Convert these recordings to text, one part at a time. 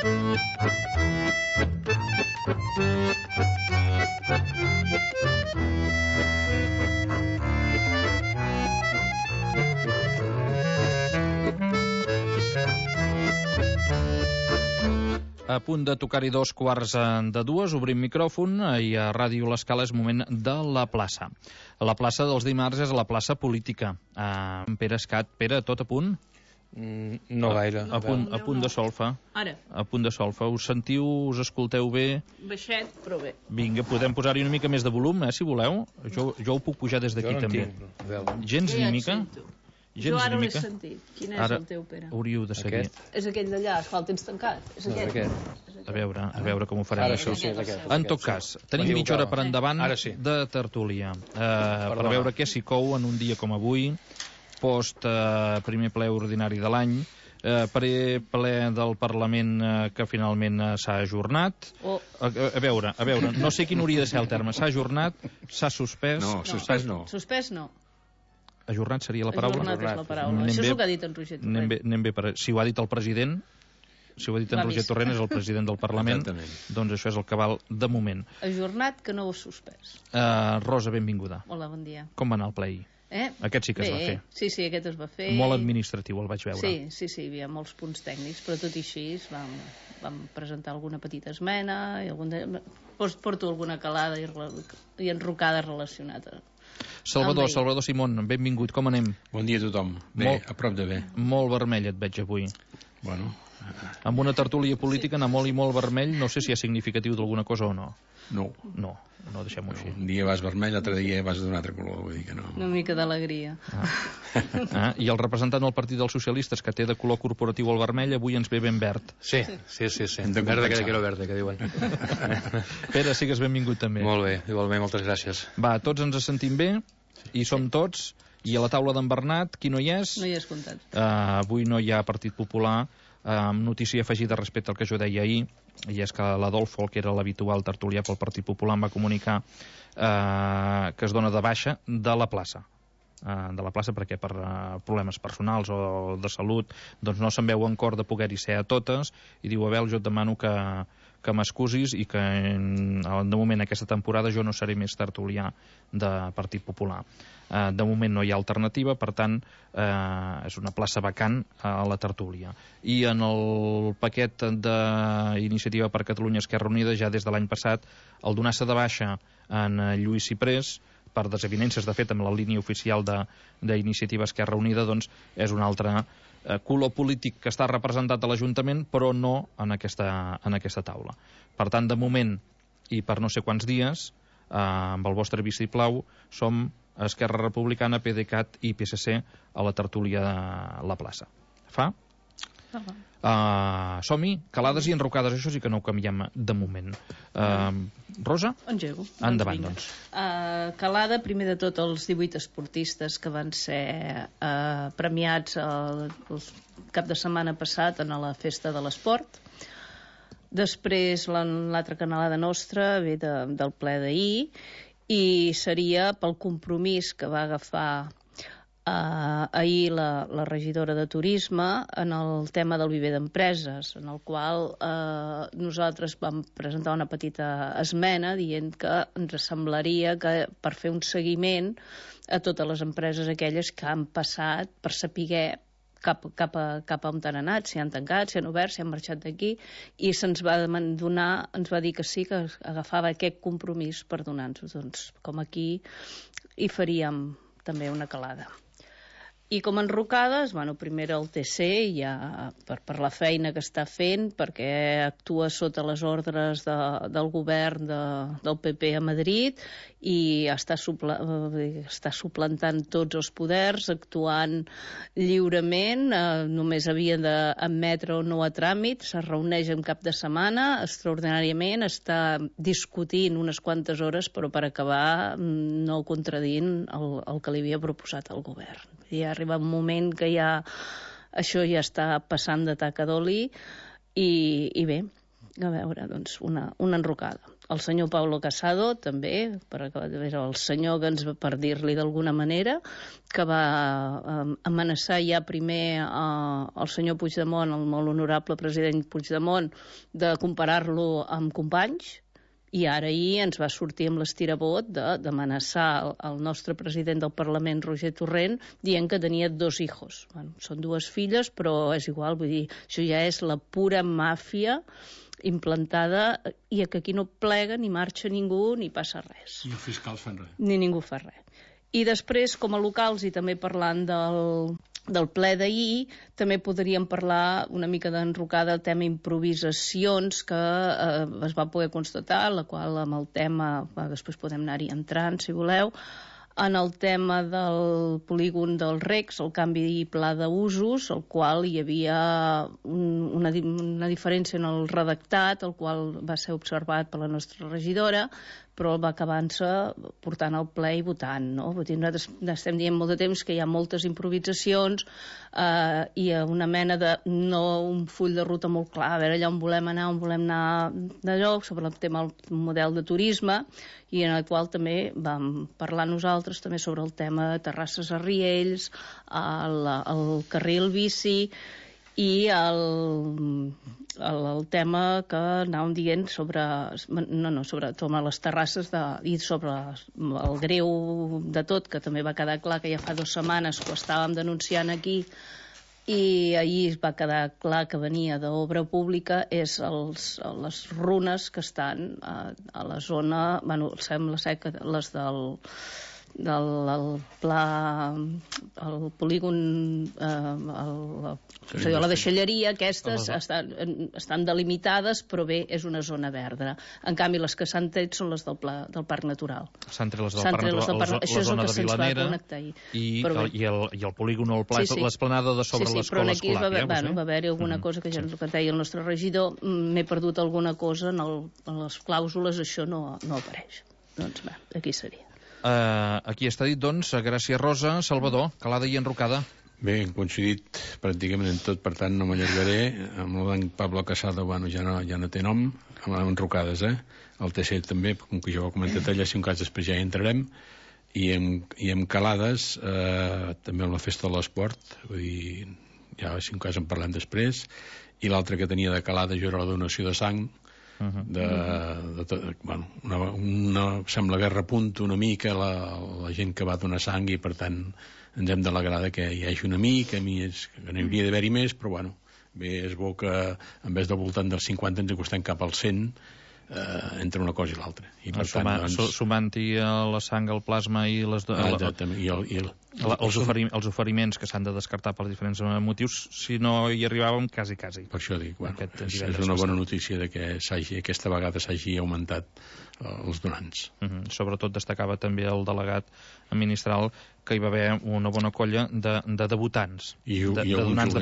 A punt de tocar-hi 2:15, obrim micròfon i a Ràdio L'Escala és moment de la plaça. La plaça dels dimarts és la plaça política. Pere Escat, Pere, tot a punt? No gaire. A punt de solfa. Ara. A punt de solfa. Us sentiu, us escolteu bé? Baixet, però bé. Vinga, podem posar-hi una mica més de volum, si voleu. Jo ho puc pujar des d'aquí també. Gens ni mica? Jo ara l'he sentit. Quin és el teu, Pere? Hauríeu de seguir. És aquell d'allà, esclar, el tens tancat. És aquest. A veure com ho farem, ara, això. Sí, és aquest. En tot cas, tenim mitja hora per endavant de tertúlia. Per veure què s'hi cou en un dia com avui, post primer ple ordinari de l'any, ple del Parlament que finalment s'ha ajornat. A veure, no sé quin hauria de ser el terme. S'ha ajornat, s'ha suspès... No, suspès no. Suspès no. Ajornat seria la paraula? Ajornat és la paraula. Això és el que ha dit en Roger Torrent. Anem bé, si ho ha dit el president, si ho ha dit en Roger Torrent, és el president del Parlament, doncs això és el que val de moment. Ajornat que no ho suspès. Rosa, benvinguda. Hola, bon dia. Com va anar el ple ahir? Aquest sí que es va fer. Sí, aquest es va fer. Molt administratiu, el vaig veure. Sí, hi havia molts punts tècnics, però tot i així vam presentar alguna petita esmena, porto alguna calada i enrocada relacionada. Salvador Simón, benvingut, com anem? Bon dia a tothom. Bé, a prop de bé. Molt vermell et veig avui. Bueno. Amb una tertúlia política anar molt i molt vermell, no sé si és significatiu d'alguna cosa o no. No, deixem-ho així. Un dia vas vermell, l'altre dia vas d'un altre color, vull dir que no. Una mica d'alegria. I el representant del Partit dels Socialistes, que té de color corporatiu el vermell, avui ens ve ben verd. Sí. Verde que quiero verde, que diuen. Pere, sigues benvingut també. Molt bé, igualment, moltes gràcies. Va, tots ens sentim bé, i som tots, i a la taula d'en Bernat, qui no hi és? No hi és comptat. Avui no hi ha Partit Popular. Notícia afegida respecte al que jo deia ahir, i és que l'Adolfo, que era l'habitual tertulià pel Partit Popular, em va comunicar que es dona de baixa de la plaça. Perquè per problemes personals o de salut doncs no se'n veu en cor de poder-hi ser a totes, i diu: Abel, jo et demano que m'excusis i que de moment aquesta temporada jo no seré més tertulià de Partit Popular. De moment no hi ha alternativa, per tant és una plaça vacant a la tertúlia. I en el paquet d'Iniciativa per Catalunya Esquerra Unida, ja des de l'any passat, el donar-se de baixa en Lluís Ciprés per desavinences, de fet, amb la línia oficial d'Iniciativa Esquerra Unida, doncs és un altre color polític que està representat a l'Ajuntament, però no en aquesta taula. Per tant, de moment, i per no sé quants dies, amb el vostre vistiplau, som Esquerra Republicana, PDeCAT i PSC a la tertúlia de la plaça. Fa? Som-hi, calades i enrocades, això sí que no ho canviem de moment. Rosa? Engego. Endavant, doncs. Calada, primer de tot, els 18 esportistes que van ser premiats el cap de setmana passat en la festa de l'esport. Després, l'altra canalada nostra ve del ple d'ahir, i seria pel compromís que va agafar ahir la regidora de Turisme en el tema del viver d'empreses, en el qual nosaltres vam presentar una petita esmena dient que ens semblaria que per fer un seguiment a totes les empreses aquelles que han passat per saber cap a on han anat, si han tancat, si han obert, si han marxat d'aquí, i se'ns va donar, ens va dir que sí, que agafava aquest compromís per donar-nos, doncs, com aquí hi faríem també una calada. I com a enrocades, primer el TC, ja per la feina que està fent, perquè actua sota les ordres del govern del PP a Madrid i està suplantant tots els poders, actuant lliurement, només havia d'admetre o no a tràmit, se reuneix en cap de setmana, extraordinàriament, està discutint unes quantes hores, però per acabar no contradint el que li havia proposat el govern. Ja arriba un moment que això ja està passant de taca d'oli i bé, a veure, doncs una enrocada. el senyor Pablo Casado, també, el senyor que ens va, per dir-li d'alguna manera, que va amenaçar ja primer el senyor Puigdemont, el molt honorable president Puigdemont, de comparar-lo amb Companys, i ara ahir ens va sortir amb l'estirabot d'amenaçar el nostre president del Parlament, Roger Torrent, dient que tenia 2 hijos. Bueno, són 2 filles, però és igual, vull dir, això ja és la pura màfia implantada, i que aquí no plega ni marxa ningú ni passa res. I els fiscals fan res. Ni ningú fa res. I després, com a locals, i també parlant del ple d'ahir, també podríem parlar una mica d'enrocada el tema improvisacions que es va poder constatar, la qual amb el tema, després podem anar-hi entrant si voleu, en el tema del polígon del RECS, el canvi i pla d'usos, el qual hi havia una diferència en el redactat, el qual va ser observat per la nostra regidora, però va acabar-se portant al ple i votant, no? Nosaltres estem dient molt de temps que hi ha moltes improvisacions i una mena de, no un full de ruta molt clar, a veure allà on volem anar d'allò, sobre el tema del model de turisme, i en el qual també vam parlar nosaltres també sobre el tema de Terrasses a Riells, el carril bici, i el tema que anàvem dient sobre les terrasses i sobre el greu de tot, que també va quedar clar que ja fa 2 setmanes que ho estàvem denunciant aquí, i ahir es va quedar clar que venia d'obra pública, és les runes que estan a la zona, sembla ser que les del pla, el polígon, la deixalleria, aquestes estan delimitades, però bé, és una zona verda. En canvi, les que s'han tret són les del Parc Natural. S'han tret les del Parc Natural, la zona de Vilanera, i el polígon o el pla, l'esplanada de sobre l'escola escolar. Va haver-hi alguna cosa que ja ens ho deia el nostre regidor, m'he perdut alguna cosa en les clàusules, això no apareix. Doncs bé, aquí seria. Aquí està dit, doncs, gràcies Rosa. Salvador, calada i enrocada. Bé, hem coincidit pràcticament en tot, per tant no m'allargaré. Amb el d'en Pablo Casado, bueno, ja no té nom, amb enrocades, el TC també, com que jo ho he comentat allà, si un cas després ja hi entrarem, i amb calades, també amb la festa de l'esport, vull dir, ja si un cas en parlem després, i l'altre que tenia de calada jo era la donació de sang, sembla que repunta una mica la gent que va donar sang, i per tant ens hem d'alegrar que hi hagi una mica, que n'hi hauria d'haver-hi més, però bueno, bé, és bo que en vez del voltant dels 50 ens acostem cap al 100 entre una cosa i l'altra, i per tant sumant-hi la sang, el plasma i els oferiments que s'han de descartar per diferents motius, si no hi arribàvem, quasi. Per això dic, bueno, és una bona notícia de que aquesta vegada s'hagi augmentat els donants. Sobretot destacava també el delegat ministral que hi va haver una bona colla de debutants, de donants de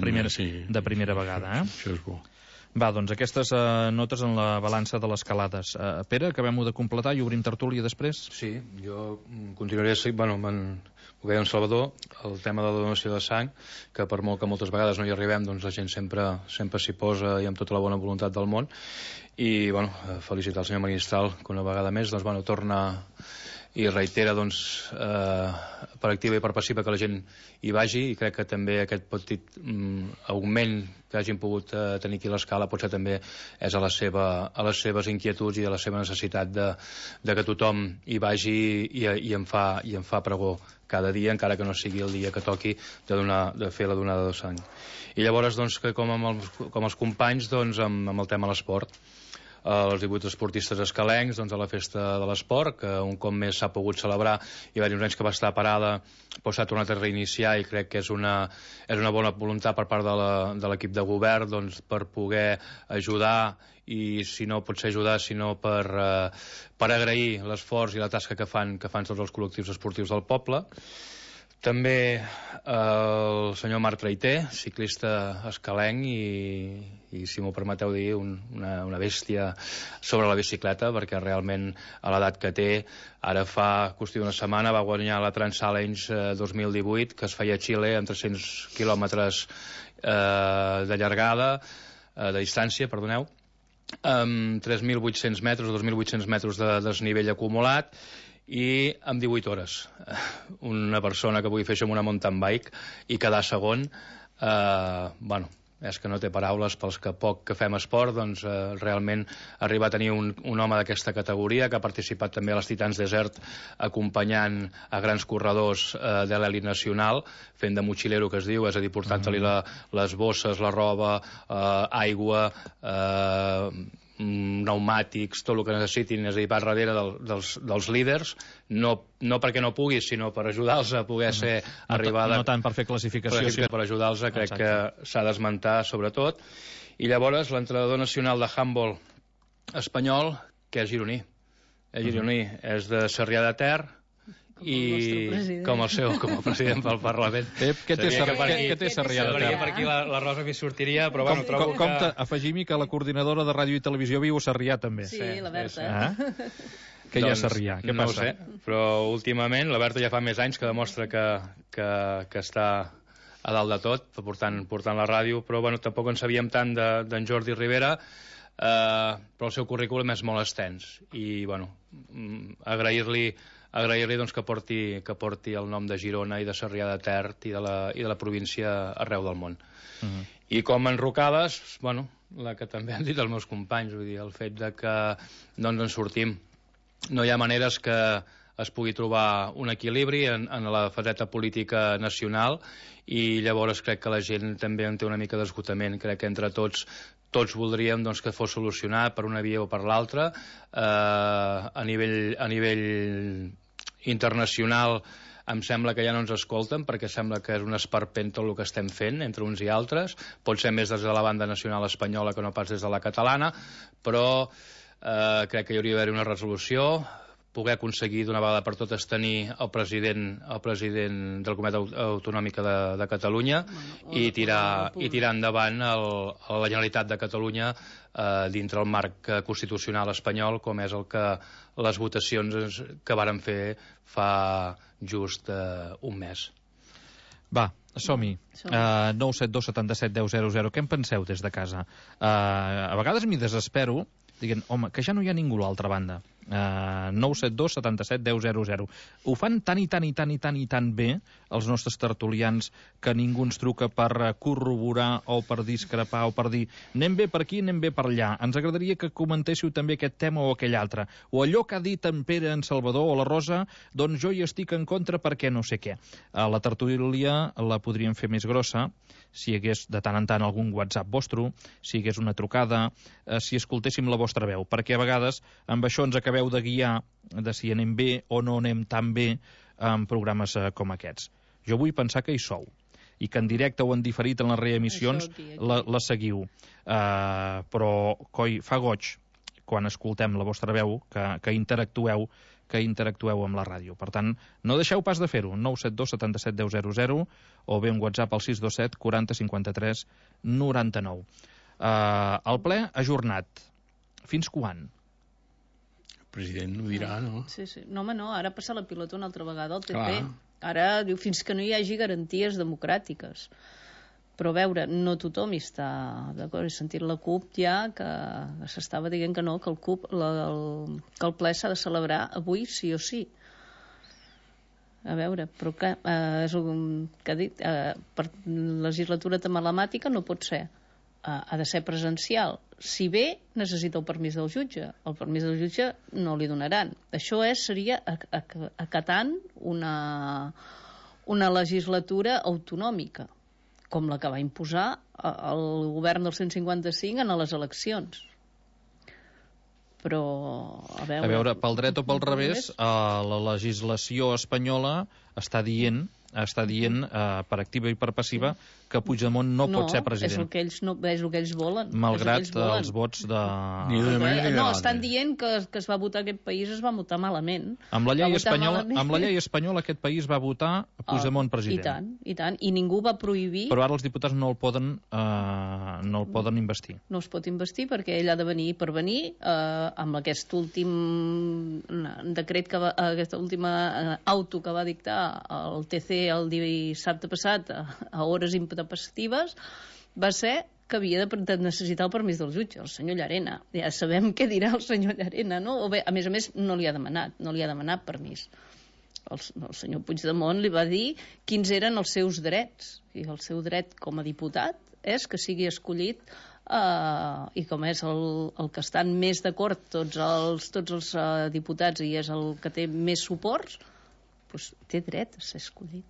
primera vegada. Això és bo. Va, doncs aquestes notes en la balança de les calades. Pere, acabem-ho de completar i obrim tertúlia després? Sí, jo continuaré, ho deia en Salvador, el tema de la donació de sang, que per molt que moltes vegades no hi arribem, doncs la gent sempre s'hi posa i amb tota la bona voluntat del món. I, bueno, felicitar el senyor Magistral, que una vegada més, doncs, bueno, torna i reitera, doncs, per activa i per passiva que la gent hi vagi, i crec que també aquest petit augment que hagin pogut tenir aquí a l'escala potser també és a les seves inquietuds i a la seva necessitat de que tothom hi vagi i en fa pregó cada dia, encara que no sigui el dia que toqui de fer la donada de sang. I llavors, doncs, que com els companys, doncs, amb el tema de l'esport, els 18 esportistes escalencs, doncs, a la festa de l'esport, que un cop més s'ha pogut celebrar. Hi va haver uns anys que va estar parada, però s'ha tornat a reiniciar, i crec que és una bona voluntat per part de l'equip de govern, doncs, per poder ajudar, i si no pot ser ajudar, sinó per agrair l'esforç i la tasca que fan tots els col·lectius esportius del poble. També el senyor Marc Traiter, ciclista escalenc i si m'ho permeteu dir, una bèstia sobre la bicicleta, perquè realment a l'edat que té, ara fa qüestió d'una setmana va guanyar la Trans-Challenge 2018, que es feia a Xile amb 300 quilòmetres de llargada, de distància, perdoneu, amb 3.800 metres o 2.800 metres de desnivell acumulat i amb 18 hores. Una persona que pugui fer això amb una mountain bike i quedar segon, bueno, és que no té paraules pels que poc que fem esport, doncs realment arribar a tenir un home d'aquesta categoria que ha participat també a les Titans Desert acompanyant a grans corredors de l'elit nacional, fent de motxilero, que es diu, és a dir, portant-li les bosses, la roba, aigua, pneumàtics, tot el que necessitin, és a dir, va darrere dels líders, no perquè no puguis, sinó per ajudar-los a poder ser arribada... No tant per fer classificació, sinó per ajudar-los, crec que s'ha d'esmentar sobretot. I llavors l'entrenador nacional de handball espanyol, que és gironí. És gironí, és de Sarrià de Ter, i com el president pel Parlament. Què té Sarrià de Ter? Per aquí la Rosa m'hi sortiria, però bueno, trobo que... Compte, afegim-hi que la coordinadora de ràdio i televisió viu a Sarrià també. Sí, la Berta. Què hi ha a Sarrià? Què passa? No ho sé, però últimament la Berta ja fa més anys que demostra que està a dalt de tot, portant la ràdio, però bueno, tampoc en sabíem tant d'en Jordi Rivera, però el seu currículum és molt extens i bueno, agrair-li doncs, que porti el nom de Girona i de Sarrià de Ter i de la província arreu del món. I com enrocades, bueno, la que també han dit els meus companys, vull dir, el fet de que no ens en sortim. No hi ha maneres que es pugui trobar un equilibri en la faceta política nacional i llavors crec que la gent també en té una mica d'esgotament. Crec que entre tots voldríem doncs, que fos solucionat per una via o per l'altra. A nivell internacional em sembla que ja no ens escolten perquè sembla que és un esperpent tot el que estem fent entre uns i altres, pot ser més des de la banda nacional espanyola que no pas des de la catalana, però crec que hi hauria d'haver una resolució, poder aconseguir d'una vegada per totes tenir el president del Comunitat Autonòmica de Catalunya i tirar endavant la Generalitat de Catalunya dintre el marc constitucional espanyol, com és el que les votacions que varen fer fa just un mes. Va, som-hi. 972 77 10 00. Què en penseu des de casa? A vegades m'hi desespero dient, home, que ja no hi ha ningú a l'altra banda. 972 77 10 00. Ho fan tan bé els nostres tertulians que ningú ens truca per corroborar o per discrepar o per dir anem bé per aquí, anem bé per allà. Ens agradaria que comentéssiu també aquest tema o aquell altre. O allò que ha dit en Pere, en Salvador o la Rosa, doncs jo hi estic en contra perquè no sé què. La tertúlia la podríem fer més grossa si hi hagués de tant en tant algun WhatsApp vostre, si hi hagués una trucada, si escoltéssim la vostra veu, perquè a vegades amb això ens acabeu de guiar de si anem bé o no anem tan bé en programes com aquests. Jo vull pensar que hi sou i que en directe o en diferit en les reemissions la seguiu. Però, coi, fa goig quan escoltem la vostra veu que interactueu amb la ràdio. Per tant, no deixeu pas de fer-ho. 972 77 10 00 o bé un WhatsApp al 627 40 53 99. El ple ajornat. Fins quan? El president ho dirà, no? Sí. No, home, no. Ara passa la pilota una altra vegada al PP. Clar. Ara diu fins que no hi hagi garanties democràtiques. Però a veure, no tothom hi està d'acord. He sentit la CUP ja que s'estava dient que no, que que el ple s'ha de celebrar avui sí o sí. A veure, però que és el que ha dit, per legislatura telemàtica no pot ser. Ha de ser presencial. Si bé necessita el permís del jutge. El permís del jutge no li donaran. Això seria acatant una legislatura autonòmica, com la que va imposar el govern del 155 en les eleccions. Però, a veure, pel dret o pel revés, la legislació espanyola està dient per activa i per passiva que Puigdemont no pot ser president. No, és el que ells volen. Malgrat els vots de... No, estan dient que es va votar aquest país, es va votar malament. Amb la llei espanyola aquest país va votar Puigdemont president. I tant, i ningú va prohibir... Però ara els diputats no el poden investir. No es pot investir perquè ell ha de venir per venir amb aquest últim decret, aquesta última auto que va dictar el TC el dissabte passat a hores intempestives, va ser que havia de necessitar el permís del jutge, el senyor Llarena. Ja sabem què dirà el senyor Llarena, no? O bé, a més, no li ha demanat permís. El senyor Puigdemont li va dir quins eren els seus drets, i el seu dret com a diputat és que sigui escollit i com és el que estan més d'acord tots els diputats i és el que té més suports, doncs té dret a ser escollit.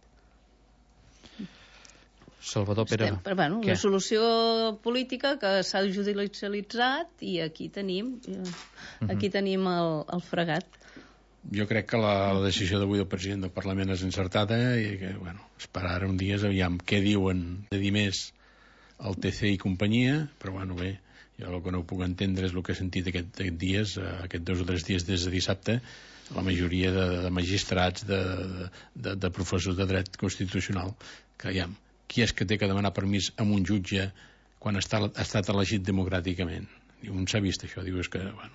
Salvador Pere, però, bueno, una solució política que s'ha judicialitzat i aquí tenim el fregat. Jo crec que la decisió d'avui del president del Parlament és encertada i que, bueno, esperar uns dies, aviam què diuen de dir més el TC i companyia, però bueno, bé, jo el que no puc entendre és el que he sentit aquests dies, aquests 2 o 3 dies des de dissabte, la majoria de magistrats, de professors de dret constitucional, que aviam, qui és que té que demanar permís a un jutge quan ha estat elegit democràticament? On s'ha vist això? Diu, és que, bueno,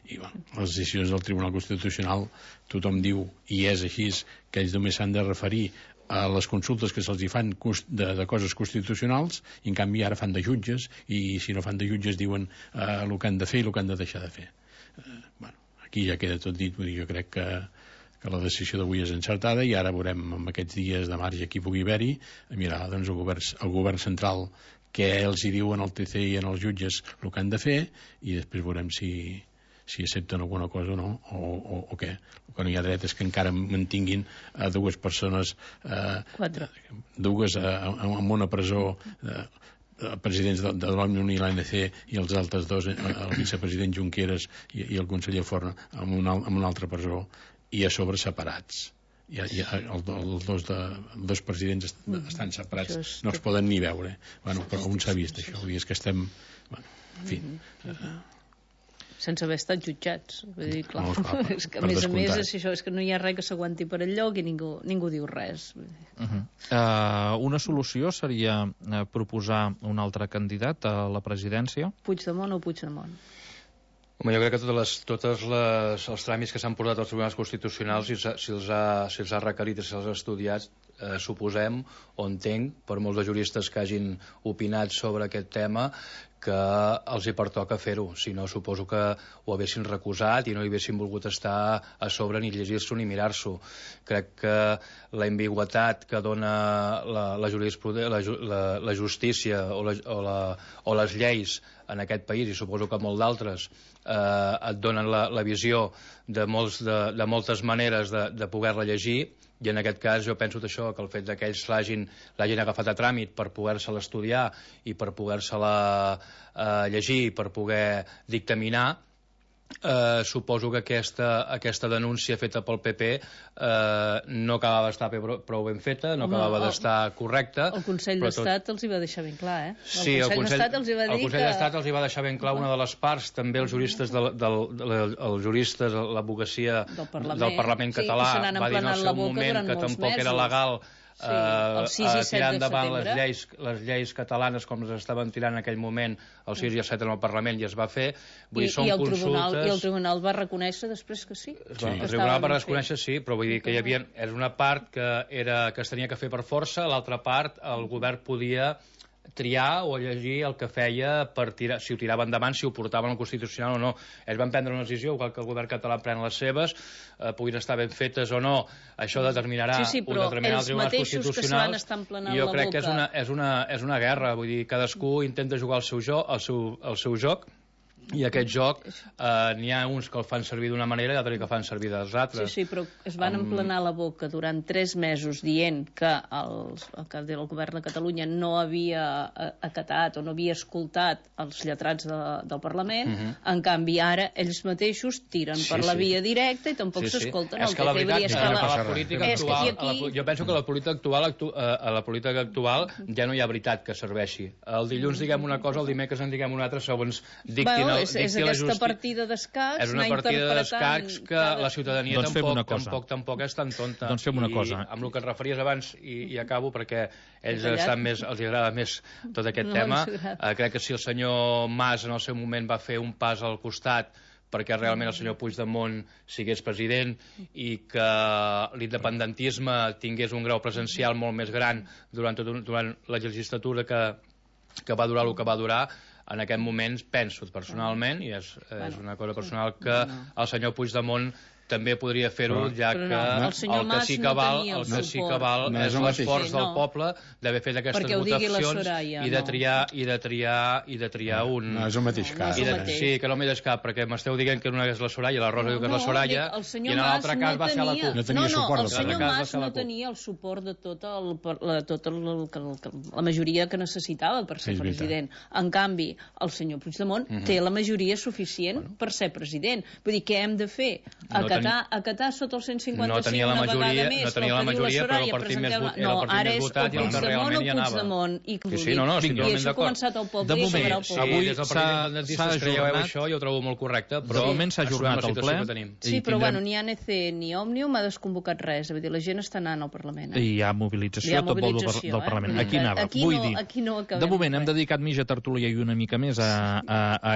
i bueno, les decisions del Tribunal Constitucional tothom diu, i és així, que ells només s'han de referir a les consultes que se'ls fan de coses constitucionals, i en canvi ara fan de jutges, i si no fan de jutges diuen el que han de fer i el que han de deixar de fer. Bueno, aquí ja queda tot dit. Vull dir, jo crec que la decisió d'avui és encertada i ara veurem en aquests dies de marge qui pugui haver-hi, mirar doncs, el govern central què els hi diuen al TC i als jutges el que han de fer, i després veurem si accepten alguna cosa o no, o què. El que no hi ha dret és que encara mantinguin dues persones, dues en una presó, presidents de l'ONU i l'ANC, i els altres dos, el vicepresident Junqueras i el conseller Forn, en una altra presó, i a sobre separats. Els dos presidents estan separats, no es poden ni veure. Bueno, però on s'ha vist això? És que estem, bueno, en fi, sense haver estat jutjats. Vull dir, clar, és que a més és això, és que no hi ha res que s'aguanti per enlloc i ningú diu res. Una solució seria proposar un altre candidat a la presidència? Puigdemont o Puigdemont? Home, jo crec que tots els tràmits que s'han portat als tribunals constitucionals, si els ha requerit i si els ha estudiat, suposem o entenc, per molts de juristes que hagin opinat sobre aquest tema, que els hi pertoca fer-ho. Si no, suposo que ho haguessin recusat i no hi haguessin volgut estar a sobre ni llegir-s'ho ni mirar-s'ho. Crec que la ambigüitat que dona la justícia o les lleis en aquest país, i suposo que molts d'altres, et donen la visió de moltes maneres de poder-la llegir, i en aquest cas jo penso això, que el fet que ells l'hagin agafat a tràmit per poder-se-la estudiar i per poder-se-la llegir i per poder dictaminar, suposo que aquesta denúncia feta pel PP no acabava d'estar prou ben feta, no acabava d'estar correcta. El Consell d'Estat els hi va deixar ben clar, Sí, el Consell d'Estat els hi va deixar ben clar una de les parts, també els juristes, l'advocacia del Parlament català va dir en el seu moment que tampoc era legal tirar endavant les lleis catalanes com les estaven tirant en aquell moment el 6 i el 7 en el Parlament, i es va fer. I el Tribunal va reconèixer després que sí. El Tribunal va reconèixer, sí, però vull dir que era una part que es tenia que fer per força, l'altra part el govern podia triar o llegir el que feia per tirar, si ho tirava endavant, si ho portaven al Constitucional o no. Ells van prendre una decisió, igual que el govern català pren les seves, puguin estar ben fetes o no, això determinarà el Tribunal Constitucional, i jo crec que és una guerra, vull dir, cadascú intenta jugar el seu joc, i aquest joc n'hi ha uns que el fan servir d'una manera i altres que fan servir de les altres. Sí, però es van emplenar la boca durant 3 mesos dient que el govern de Catalunya no havia acatat o no havia escoltat els lletrats del Parlament. En canvi ara ells mateixos tiren per la via directa i tampoc s'escolten. És que la veritat, a la política actual, jo penso que a la política actual ja no hi ha veritat que serveixi. El dilluns diguem una cosa, el dimecres en diguem una altra, segons dictin. És aquesta partida d'escacs, és una partida d'escacs que la ciutadania tampoc és tan tonta. Doncs fem una cosa. Amb el que et referies abans, i acabo perquè ells els agrada més tot aquest tema, crec que si el senyor Mas en el seu moment va fer un pas al costat perquè realment el senyor Puigdemont sigués president i que l'independentisme tingués un grau presencial molt més gran durant la legislatura que que va durar el que va durar. En aquest moment penso personalment, i és una cosa personal, que el senyor Puigdemont també podria fer-ho, ja que el que sí que val és l'esforç del poble d'haver fet aquestes votacions i de triar un... No és el mateix cas. Sí, que no m'hi cap, perquè m'esteu dient que una és la Soraya, la Rosa diu que és la Soraya, i en l'altre cas va ser la CUP. No, el senyor Mas no tenia el suport de tota la majoria que necessitava per ser president. En canvi, el senyor Puigdemont té la majoria suficient per ser president. Vull dir, què hem de fer? Acatar sota el 155 una vegada més, no tenia la majoria, però el partit més votat i el que realment hi anava. I això ha començat al poble i acabarà al poble. Avui des del partit independentista creieu això, jo ho trobo molt correcte, però de moment s'ha ajornat el ple. Sí, però bueno, ni ANC ni Òmnium ha desconvocat res, vull dir, la gent està anant al Parlament. I hi ha mobilització tot vol del Parlament. Aquí anava, vull dir, de moment hem dedicat mitja tertúlia i una mica més a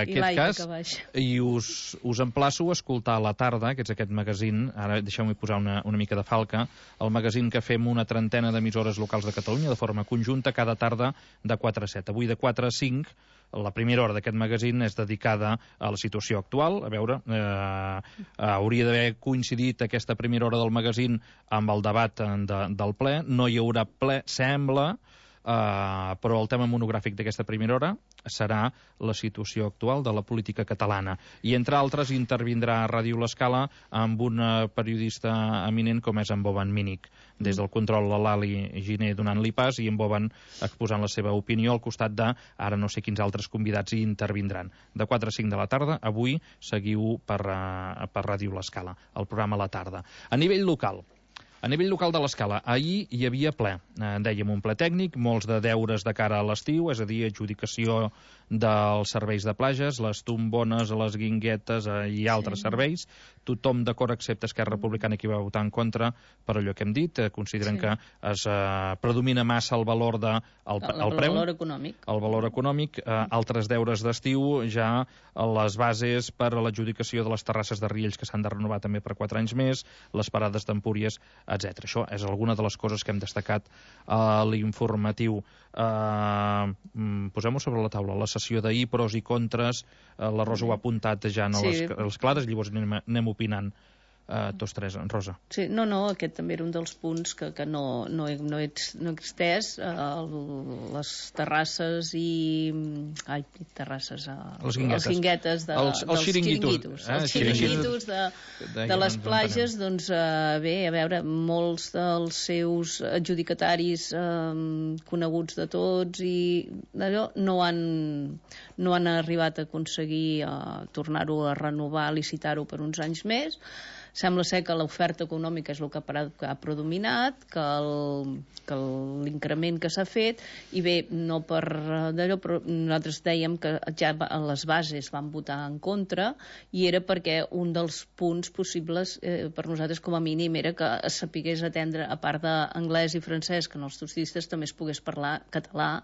aquest cas, i us emplaço a escoltar a la tarda, que és aquest magazín, ara deixeu-me posar una mica de falca, el magazín que fem una trentena d'emissores locals de Catalunya de forma conjunta cada tarda de 4 a 7. Avui de 4 a 5, la primera hora d'aquest magazín és dedicada a la situació actual. A veure, hauria d'haver coincidit aquesta primera hora del magazín amb el debat del ple. No hi haurà ple, sembla, però el tema monogràfic d'aquesta primera hora serà la situació actual de la política catalana. I, entre altres, intervindrà a Ràdio L'Escala amb un periodista eminent com és en Boban Mínic. Des del control, la Lali Giner donant-li pas i en Boban exposant la seva opinió al costat de, ara no sé quins altres convidats hi intervindran. De 4 a 5 de la tarda, avui seguiu per Ràdio L'Escala, el programa a la tarda. A nivell local de l'Escala, ahir hi havia ple. Dèiem un ple tècnic, molts de deures de cara a l'estiu, és a dir, adjudicació dels serveis de platges, les tombones, les guinguetes i altres serveis. Tothom d'acord, excepte Esquerra Republicana, que va votar en contra per allò que hem dit. Consideren que es predomina massa el valor del preu. El valor econòmic. Altres deures d'estiu, ja les bases per a l'adjudicació de les terrasses de Riells, que s'han de renovar també per 4 anys més, les parades d'Empúries, etc. Això és alguna de les coses que hem destacat a l'informatiu. Posem-ho sobre la taula. La sessió d'ahir, pros i contres, la Rosa ho ha apuntat ja a les clares, llavors anem opinant tots tres. Rosa. Sí, no, aquest també era un dels punts que no he extès, les terrasses i... terrasses... Les guinguetes dels xiringuitos. Els xiringuitos de les platges, doncs, bé, a veure, molts dels seus adjudicataris coneguts de tots i d'allò no han arribat a aconseguir tornar-ho a renovar, licitar-ho per uns anys més. Sembla ser que l'oferta econòmica és el que ha predominat, que l'increment que s'ha fet, i bé, no per d'allò, però nosaltres dèiem que ja les bases van votar en contra, i era perquè un dels punts possibles per nosaltres com a mínim era que es sapigués atendre, a part d'anglès i francès, que en els turistes també es pogués parlar català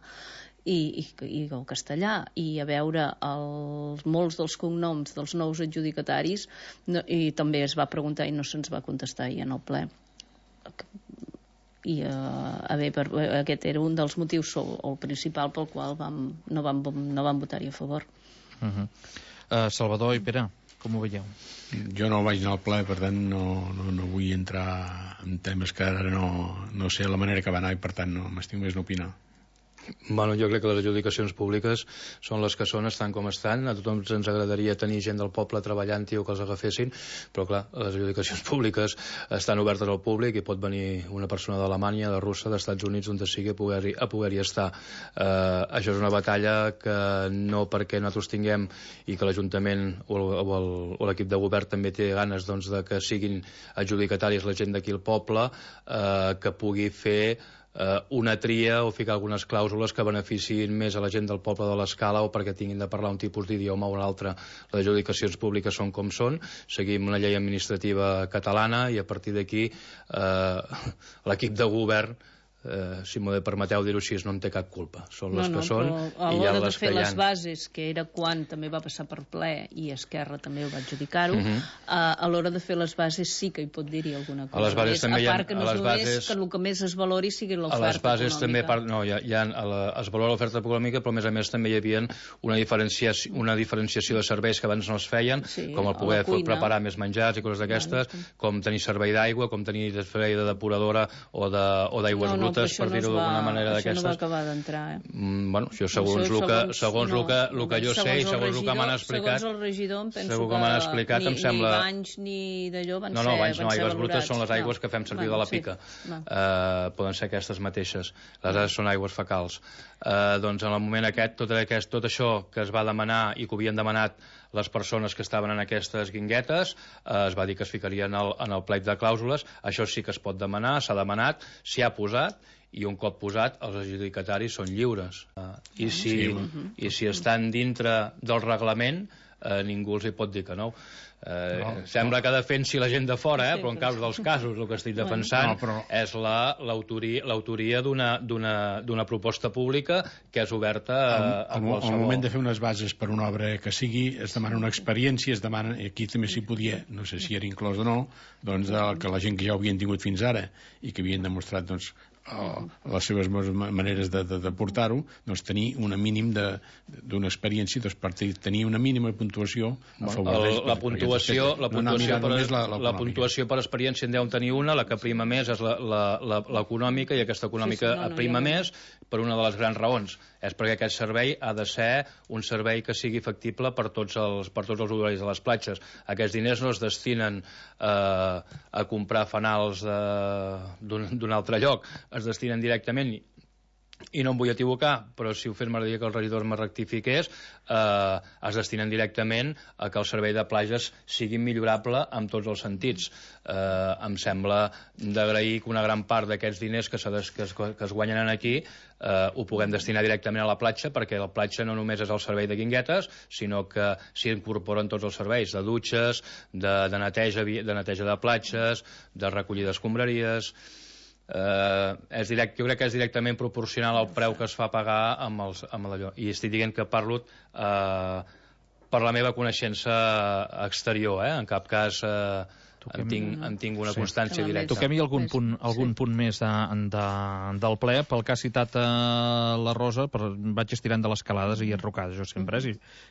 i el castellà, i a veure molts dels cognoms dels nous adjudicataris, i també es va preguntar i no se'ns va contestar ahir en el ple. I aquest era un dels motius, el principal pel qual no vam votar-hi a favor. Salvador i Pere, com ho veieu? Jo no vaig anar al ple, per tant no vull entrar en temes que ara no sé la manera que va anar i per tant no m'estic més d'opinar. Bueno, jo crec que les adjudicacions públiques són les que són, estan com estan. A tothom ens agradaria tenir gent del poble treballant-hi o que els agafessin, però clar, les adjudicacions públiques estan obertes al públic i pot venir una persona d'Alemanya, de Rússia, dels Estats Units, on sigui a poder-hi estar. Això és una batalla que no perquè nosaltres tinguem i que l'Ajuntament o l'equip de govern també té ganes doncs, de que siguin adjudicataris la gent d'aquí al poble, que pugui fer una tria o ficar algunes clàusules que beneficiïn més a la gent del poble de l'Escala o perquè tinguin de parlar un tipus d'idioma o un altre. Les adjudicacions públiques són com són, seguim una llei administrativa catalana i a partir d'aquí l'equip de govern si m'ho permeteu dir-ho així, no en té cap culpa. Són les que són. A l'hora de fer les bases, que era quan també va passar per ple, i Esquerra també ho va adjudicar-ho, a l'hora de fer les bases sí que hi pot dir-hi alguna cosa. A les bases també a part que no és només que el que més es valori sigui l'oferta econòmica. A les bases també, es valora l'oferta econòmica, però a més també hi havia una diferenciació de serveis que abans no es feien, com el poder preparar més menjars i coses d'aquestes, com tenir servei d'aigua, com tenir servei de depuradora o d'aigües brutes, per dir-ho d'alguna manera d'aquestes. Això no va acabar d'entrar, Bueno, això segons el que jo sé i segons el que m'han explicat... Segons el regidor, em penso que ni banys ni d'allò van ser... No, banys no, aigües brutes són les aigües que fem servir de la pica. Poden ser aquestes mateixes. Les altres són aigües fecals. Doncs en el moment aquest, tot això que es va demanar i que havien demanat les persones que estaven en aquestes guinguetes, es va dir que es ficarien en el plec de clàusules. Això sí que es pot demanar, s'ha demanat, s'hi ha posat, i un cop posat els adjudicataris són lliures. I si estan dintre del reglament, ningú els hi pot dir que no. Sembla que defensi la gent de fora, però en dels casos el que estic defensant és l'autoria d'una proposta pública que és oberta a qualsevol. Al moment de fer unes bases per una obra que sigui, es demana una experiència, es demana, aquí també s'hi podia, no sé si era inclòs o no, doncs que la gent que ja ho havien tingut fins ara i que havien demostrat les seves maneres de portar-ho, doncs tenir un mínim d'una experiència, doncs per tenir una mínima puntuació a favor d'ells. La puntuació per experiència en deu tenir una, la que prima més és l'econòmica, i aquesta econòmica prima més per una de les grans raons. És perquè aquest servei ha de ser un servei que sigui factible per tots els usuaris de les platges. Aquests diners no es destinen a comprar fanals d'un altre lloc, es destinen directament, i no em vull equivocar, però si ho fes m'agradaria que el regidor me rectifiqués, es destinen directament a que el servei de platges sigui millorable en tots els sentits. Em sembla d'agrair que una gran part d'aquests diners que es guanyen aquí ho puguem destinar directament a la platja, perquè la platja no només és el servei de guinguetes, sinó que s'hi incorporen tots els serveis, de dutxes, de neteja de platges, de recollida d'escombraries. Jo crec que és directament proporcional al preu que es fa pagar amb allò, i estic dient que parlo per la meva coneixença exterior, en cap cas en tinc una constància directa. Toquem-hi algun punt més del ple. Pel que ha citat la Rosa, vaig estirant de les calades i enrocades, jo sempre,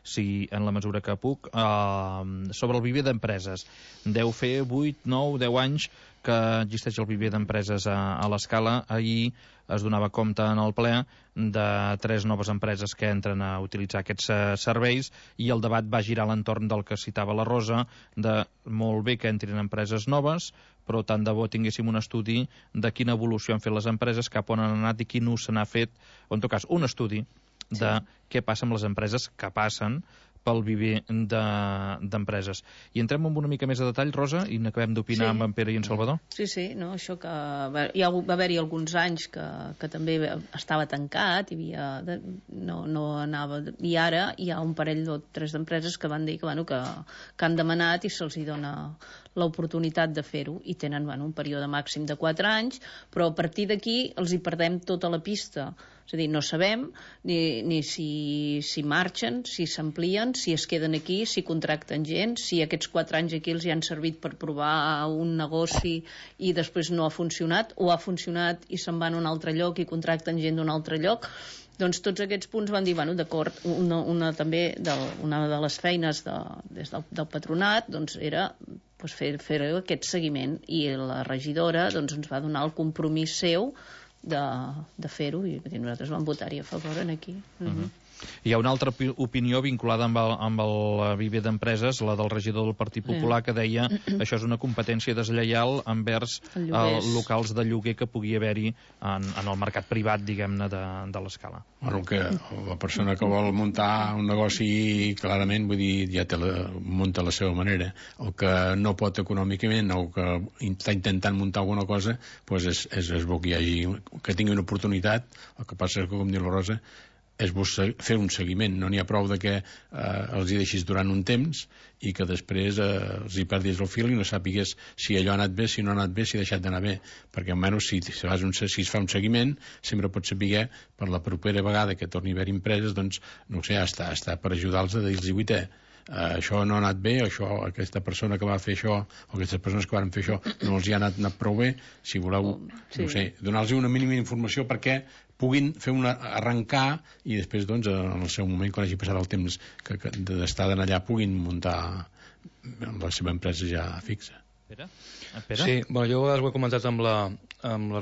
si en la mesura que puc, sobre el viver d'empreses. Deu fer 8, 9, 10 anys que existeix el viver d'empreses a l'Escala. Ahir es donava compte en el ple de 3 noves empreses que entren a utilitzar aquests serveis, i el debat va girar a l'entorn del que citava la Rosa, de molt bé que entrin empreses noves, però tant de bo tinguéssim un estudi de quina evolució han fet les empreses, cap on han anat i quin ús se n'ha fet, o en tot cas un estudi de què passa amb les empreses que passen pel viver d'empreses. I entrem en una mica més de detall, Rosa, i n'acabem d'opinar amb en Pere i en Salvador? Sí, no, això que va haver-hi alguns anys que també estava tancat, no anava, i ara hi ha un parell o 3 d'empreses que van dir que han demanat i se'ls dona l'oportunitat de fer-ho, i tenen un període màxim de 4 anys, però a partir d'aquí els hi perdem tota la pista. És a dir, no sabem ni si marxen, si s'amplien, si es queden aquí, si contracten gent, si aquests 4 anys aquí els hi han servit per provar un negoci i després no ha funcionat, o ha funcionat i se'n van a un altre lloc i contracten gent d'un altre lloc. Doncs tots aquests punts van dir, d'acord, una de les feines des del patronat era fer aquest seguiment, i la regidora ens va donar el compromís seu de fer-ho, i nosaltres vam votar-hi a favor aquí. Hi ha una altra opinió vinculada amb el viver d'empreses, la del regidor del Partit Popular, que deia això és una competència deslleial envers locals de lloguer que pugui haver-hi en el mercat privat, diguem-ne, de l'Escala. Bueno, que la persona que vol muntar un negoci, clarament, vull dir, ja munta a la seva manera. El que no pot econòmicament, o que està intentant muntar alguna cosa, doncs és bo que tingui una oportunitat. El que passa és que, com diu la Rosa, és fer un seguiment. No n'hi ha prou de que els hi deixis durant un temps i que després els hi perdis el fil i no sàpigues si allò ha anat bé, si no ha anat bé, si ha deixat d'anar bé, perquè almenys si es fa un seguiment sempre pots saber per la propera vegada que torni a haver empreses, doncs no sé, està per ajudar-los a dir-los això no ha anat bé, aquesta persona que va fer això o aquestes persones que van fer això no els hi ha anat prou bé. Si voleu, no sé, donar-los una mínima informació perquè puguin fer arrencar i després, doncs, en el seu moment, quan hagi passat el temps d'estar allà, puguin muntar la seva empresa ja fixa. Pere? Sí, bueno, jo ho he comentat amb la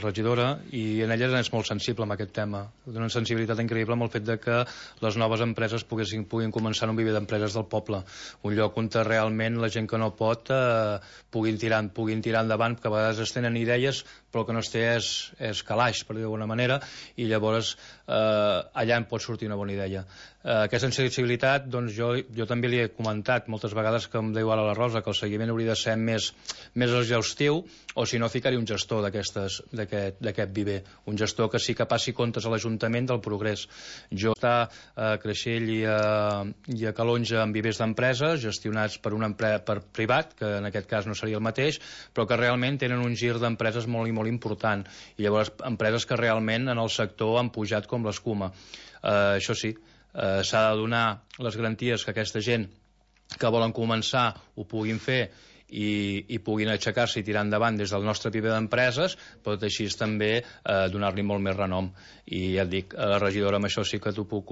regidora i en ella és molt sensible amb aquest tema. Té una sensibilitat increïble amb el fet de que les noves empreses puguin començar en un viver d'empreses del poble, un lloc on realment la gent que no pot puguin tirar endavant, que a vegades es tenen idees però el que no es té és calaix, per dir d'alguna manera, i llavors allà en pot sortir una bona idea. Aquesta sensibilitat, doncs jo també li he comentat moltes vegades, que em diu ara la Rosa, que el seguiment hauria de ser més exhaustiu, o si no ficar-hi un gestor d'aquest viver, un gestor que sí que passi comptes a l'Ajuntament del progrés. Jo està a Creixell i a Calonja amb vivers d'empreses gestionats per per privat, que en aquest cas no seria el mateix, però que realment tenen un gir d'empreses molt i molt important, i llavors empreses que realment en el sector han pujat com l'escuma. Això sí, s'ha de donar les garanties que aquesta gent que volen començar ho puguin fer i puguin aixecar-se i tirar endavant des del nostre viver d'empreses, però tot així també donar-li molt més renom. I ja et dic, a la regidora amb això sí que t'ho puc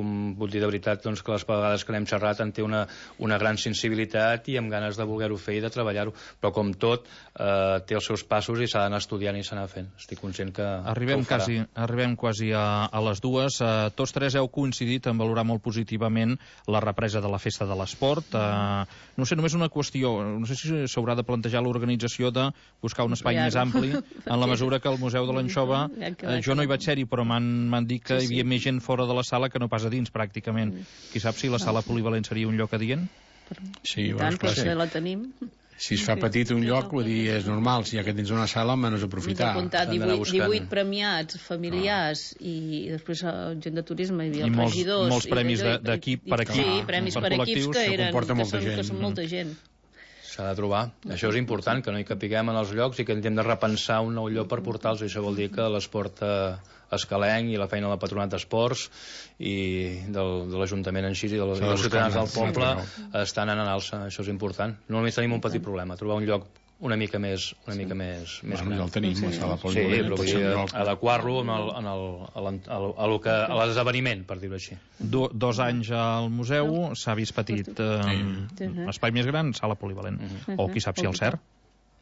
dir de veritat, doncs, que les vegades que n'hem xerrat en té una gran sensibilitat i amb ganes de voler-ho fer i de treballar-ho, però com tot té els seus passos i s'ha d'anar estudiant i s'ha d'anar fent. Estic conscient que Arribem quasi a les dues. Tots tres heu coincidit en valorar molt positivament la represa de la Festa de l'Esport. No sé, només una qüestió, no sé si s'haurà de plantejar l'organització de buscar un espai més ampli, en la mesura que el Museu de l'Anxova, jo no hi vaig ser-hi, però m'han dit que hi havia més gent fora de la sala que no pas a dins, pràcticament. Qui sap si la sala polivalent seria un lloc adient? Sí, tant, però si la tenim. Si es fa petit un lloc, vull dir, és normal, si ja que tens una sala, almenys aprofitar. Hem apuntat 18 premiats familiars i després gent de turisme, hi havia regidors. Molts premis d'equip per equip. Sí, premis per equips que són molta gent. S'ha de trobar. Això és important, que no hi capiguem en els llocs i que hem de repensar un nou lloc per portar-los. Això vol dir que l'esport escalenc i la feina del Patronat d'Esports i de l'Ajuntament en si i dels ciutadans del poble estan en alça. Això és important. Només tenim un petit problema, trobar un lloc una mica més gran. Ja el tenim, la sala polivalent. Sí, però adequar-lo a l'esdeveniment, per dir-ho així. 2 anys al museu, s'ha vist petit. Espai més gran, sala polivalent. O qui sap si el cert.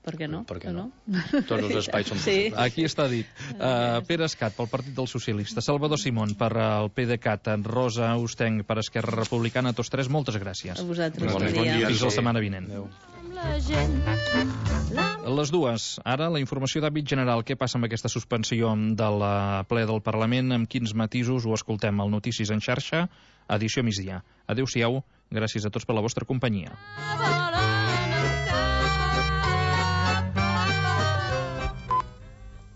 Per què no? Tots els espais són possibles. Aquí està dit. Pere Escat, pel Partit dels Socialistes, Salvador Simón, per el PDeCAT, Rosa Ostenc, per Esquerra Republicana, tots tres, moltes gràcies. A vosaltres. Bon dia. Fins la setmana vinent. Les dues. Ara, la informació d'àmbit general. Què passa amb aquesta suspensió de la ple del Parlament? Amb quins matisos ho escoltem al Notícies en xarxa? Edició migdia. Adéu-siau. Gràcies a tots per la vostra companyia.